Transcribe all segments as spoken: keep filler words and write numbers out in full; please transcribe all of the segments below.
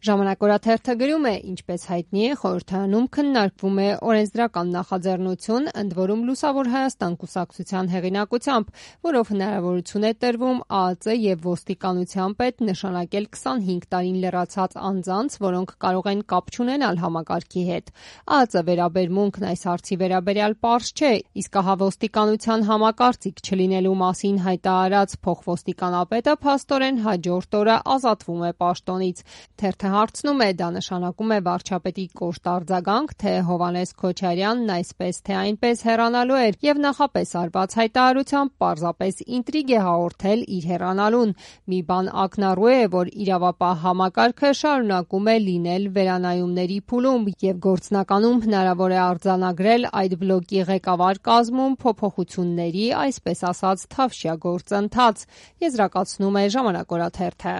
Ժամանակ օրաթերթը գրում է, ինչպես հայտնի է, խորհրդարանում քննարկվում է օրենսդրական նախաձեռնություն, ընդ որում Լուսավոր Հայաստան կուսակցության հեղինակությամբ, որով հնարավորություն է տրվում ԱԱԾ եւ ոստիկանության պետ նշանակել քսանհինգ տարին լեռացած անձանց, որոնք կարող են կապ չունենալ համակարգի հետ։ ԱԱԾ վերաբերմունքն այս հարցի վերաբերյալ պարզ չէ, իսկ ահա ոստիկանության համակարծիք չլինելու մասին հայտարարած փոխոստիկանապետը փաստորեն հաջորդ օրը ազատվում է պաշտոնից։ Թերթը հարցնում է, դա նշանակում է վարչապետի կոշտ արձագանք, թե Հովհաննես Քոչարյանն այսպես թե այնպես հեռանալու էր եւ նախապես արված հայտարարությամբ պարզապես ինտրիգ է հաղորդել իր հեռանալուն։ Մի բան ակնառու է, որ իրավապահ համակարգը շարունակում է լինել վերանայումների փուլում եւ գործնականում հնարավոր է արձանագրել այդ բլոկի ղեկավար կազմում փոփոխությունների, այսպես ասած, թավշյա գործընթաց, եզրակացնում է Ժամանակ օրաթերթը։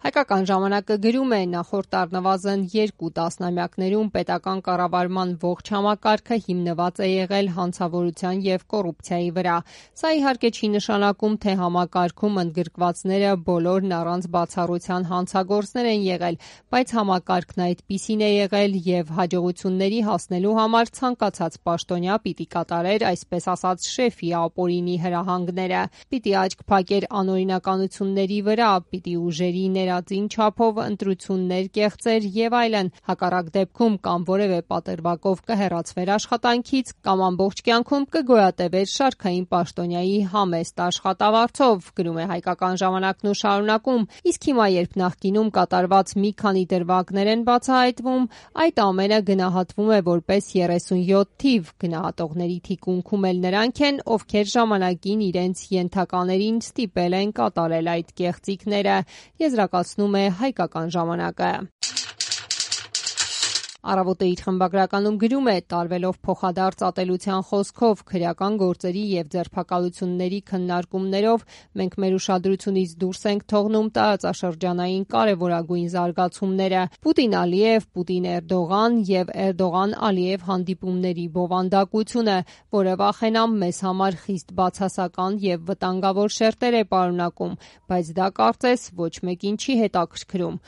Հայկական ժամանակը գրում է, նախորդ առնվազն երկու տասնամյակներում պետական կառավարման ողջ համակարգը հիմնված է եղել հանցավորության եւ կոռուպցիայի վրա։ Սա իհարկե չի նշանակում, թե համակարգում ընդգրկվածները բոլորն առանց բացառության հանցագործներ են եղել, բայց համակարգն այդպիսին է եղել եւ հաջողությունների հասնելու համար ցանկացած պաշտոնյա պիտի կատարեր, այսպես ասած, շեֆի ապօրինի հրահանգները, պիտի աչք փակեր անօրինականությունների վրա, պիտի ուժերի ներածին չափով ընտրություններ կեղծեր եւ այլն, հակառակ դեպքում կամ որևէ պատրվակով կհեռացվեր աշխատանքից, կամ ամբողջ կյանքում կգոյատևեր շարքային պաշտոնյայի համեստ աշխատավարձով, գրում է Հայկական ժամանակն ու շարունակում, իսկ հիմա երբ նախկինում կատարված մի քանի դրվագներ են բացահայտվում, այդ ամենը գնահատվում է որպես երեսունյոթ թիվ, գնահատողների թիկունքում էլ նրանք են, ովքեր ժամանակին իրենց ենթականերին ստիպել են կատարել այդ կեղծիքները, եզրակացնում է Հայկական ժամանակը։ Առավոտը իր խմբագրականում գրում է, տարվելով փոխադարձ ատելության խոսքով, քրեական գործերի եւ ձերբակալությունների քննարկումներով մենք մեր ուշադրությունից դուրս ենք թողնում տարածաշրջանային կարևորագույն զարգացումները՝ Պուտին-Ալիև, Պուտին-Էրդողան եւ Էրդողան-Ալիև հանդիպումների բովանդակությունը, որը վախենամ մեզ համար խիստ բացասական եւ վտանգավոր շերտեր է պարունակում, բայց դա կարծես ոչ մեկին չի հետաքրքրում։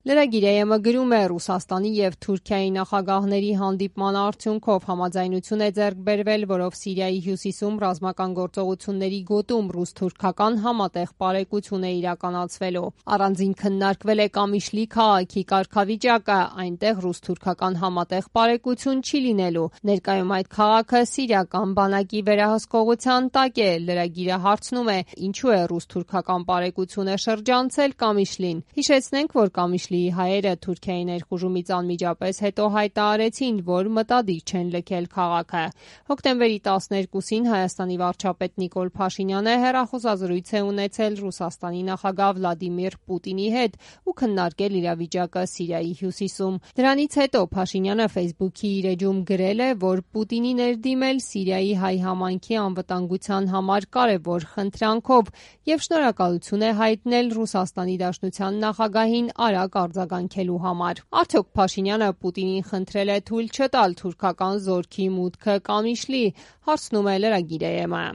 Լրագիր.am-ը գրում է, Ռուսաստանի եւ Թուրքիայի նախագահների հանդիպման արդյունքով համաձայնություն է ձեռք բերվել, որով Սիրիայի հյուսիսում ռազմական գործողությունների գոտում ռուս-թուրքական համատեղ պարեկություն է իրականացվելու։ Առանձին քննարկվել է Կամիշլի քաղաքի կարգավիճակը, այնտեղ ռուս-թուրքական համատեղ պարեկություն չի լինելու։ Ներկայում այդ քաղաքը սիրիական բանակի վերահսկողության տակ է։ Լրագիրը հարցնում է, ինչու է ռուս-թուրքական պարեկությունը շրջանցել Կամիշլին։ Հիշեցնենք, որ Կամիշլի հայերը Թուրքիայի ներխուժումից անմիջապես հետո հայտարարեցին, որ մտադիր չեն լքել քաղաքը։ Հոկտեմբերի տասներկուսին Հայաստանի վարչապետ Նիկոլ Փաշինյանը հեռախոսազրույց է ունեցել Ռուսաստանի նախագահ Վլադիմիր Պուտինի հետ ու քննարկել իրավիճակը Սիրիայի հյուսիսում։ Դրանից հետո Փաշինյանը Facebook-ի իր էջում գրել է, որ Պուտինի ներդիմել Սիրիայի հայ համայնքի անվտանգության համար կարևոր խնդրանքով եւ շնորհակալություն է հայտնել Ռուսաստանի Դաշնության նախագահին արագ արձագանքելու համար։ Արդյոք Փաշինյանը Պուտինին խնդրել է թույլ չտալ թուրքական զորքի մուտքը Կամիշլի, հարցնում է Լրագիր.am-ը։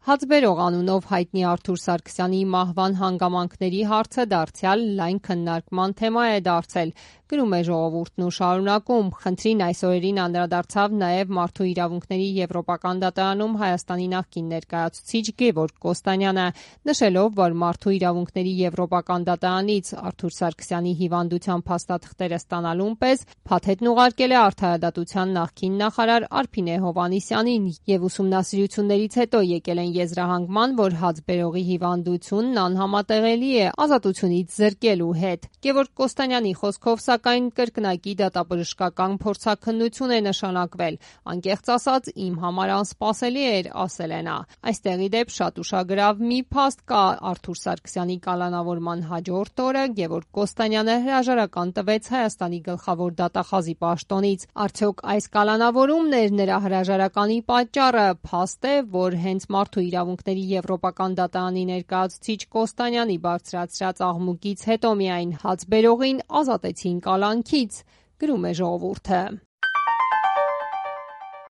Հացբերող անունով հայտնի Արթուր Սարգսյանի մահվան հանգամանքների հարցը դարձյալ լայն քննարկման թեմա է դարձել, գրում է Ժողովուրդն ու շարունակում. Խնդրին այս օրերին անդրադարձավ նաև Մարդու իրավունքների եվրոպական դատարանում Հայաստանի նախկին ներկայացուցիչ Գևորգ Կոստանյանը, նշելով, որ Մարդու իրավունքների եվրոպական դատարանից Արթուր Սարգսյանի հիվանդության փաստաթղթերը ստանալուն պես փաթեթն ուղարկել է Արդարադատության նախկին նախարար Արփինե Հովհաննիսյանին եւ ուսումնասիրություններից հետո եկել են եզրահանգման, որ հացբերողի հիվանդությունն անհամատեղելի է ազատությունից զրկելու հետ։ Գևորգ Կոստանյանի խոսքով սակայն կրկնակի դատաբժշկական փորձաքննություն է նշանակվել։ Անկեղծ ասած, իմ համար անսպասելի էր, ասել է նա։ Այստեղ ի դեպ շատ ուշագրավ մի փաստ կա Արթուր Սարգսյանի կալանավորման հաջորդ օրը Գևորգ Կոստանյանը հրաժարական տվեց Հայաստանի գլխավոր դատախազի պաշտոնից։ Արդյոք այս կալանավորումն էր նրա հրաժարականի պատճառը։ Փաստ է, որ հենց Մարդու իրավունքների եվրոպական դատարանի ներկայացուցիչ Կոստանյանի բարձրացրած աղմուկից հետո միայն հացբերողին ազատեցին կալանքից, գրում է Ժողովուրդը։